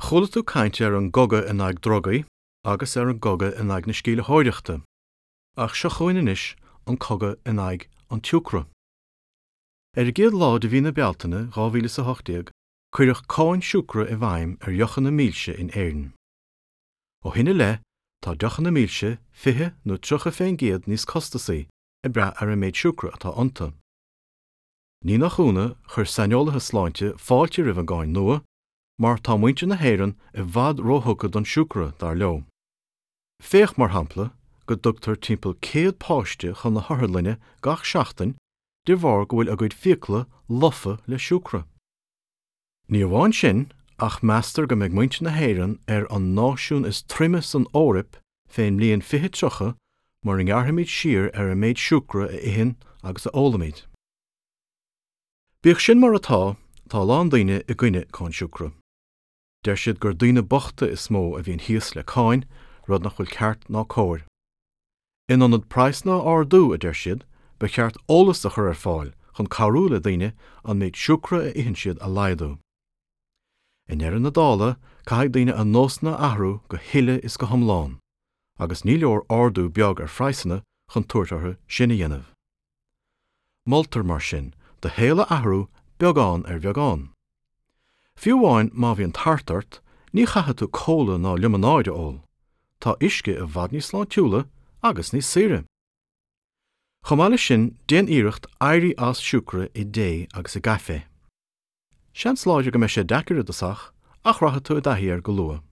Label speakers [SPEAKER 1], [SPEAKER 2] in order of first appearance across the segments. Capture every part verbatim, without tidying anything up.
[SPEAKER 1] Chuala tú caint ar an gcogadh in aghaidh drugaí agus ar an gcogadh in aghaidh na sceimhlitheoireachta, ach seo chugainn anois an cogadh in aghaidh an tsiúcra. Ar an gcéad lá de mhí na Bealtaine dhá mhíle is a hocht déag, cuireadh cáin siúcra i bhfeidhm ar dheochanna milse in Éirinn. Ó shin i leith, tá deochanna milse fiche nó tríocha fén gcéad níos costasaí, ag brath ar an méid siúcra atá iontu. Ní nach ionadh, chuir saineolaithe sláinte fáilte roimh an gcáin nua, mar tá muintir na hÉireann i bhfad róthugtha don siúcra, dar leo. Féach, mar shampla, go dtugtar timpeall céad páiste chun na hotharlainne gach seachtain de bharr go bhfuil a gcuid fiacla lofa le siúcra. Ní amháin sin, ach meastar go mbeidh muintir na hÉireann ar an náisiún is troime san Eoraip fén mbliain fiche tríocha mura ngearrfaimid siar ar an méid siúcra a itheann agus a ólaimid. Bíodh sin mar atá, tá a lán daoine i gcoinne cáin siúcra. Deir siad gur daoine bochta is mó a bhíonn thíos le cáin, rud nach bhfuil ceart ná cóir. In ionad praghsanna a ardú, a deir siad, ba cheart eolas a chur ar fáil chun cabhrú le daoine an méid siúcra a itheann siad a laghdú. I ndeireadh na dála, caithfidh daoine a nósanna a athrú go huile is go hiomlán, agus ní leor ardú beag ar phraghsanna chun tabhairt orthu sin a dhéanamh. Moltar, mar sin, do shaol a athrú beagán ar bheagán. Fiú amháin má bhíonn tart ort, ní chaithfidh tú cóla ná liomanáid a ól. Tá uisce i bhfad níos sláintiúla agus níos saoire. Chomh maith leis sin, déan iarracht éirí as siúcra i dtae agus i gcaife. Seans láidir go mbeidh sé deacair i dtosach, ach rachaidh tú i dtaithí air go luath.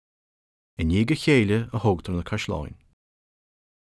[SPEAKER 1] I ndiaidh a chéile a thógtar na caisleáin.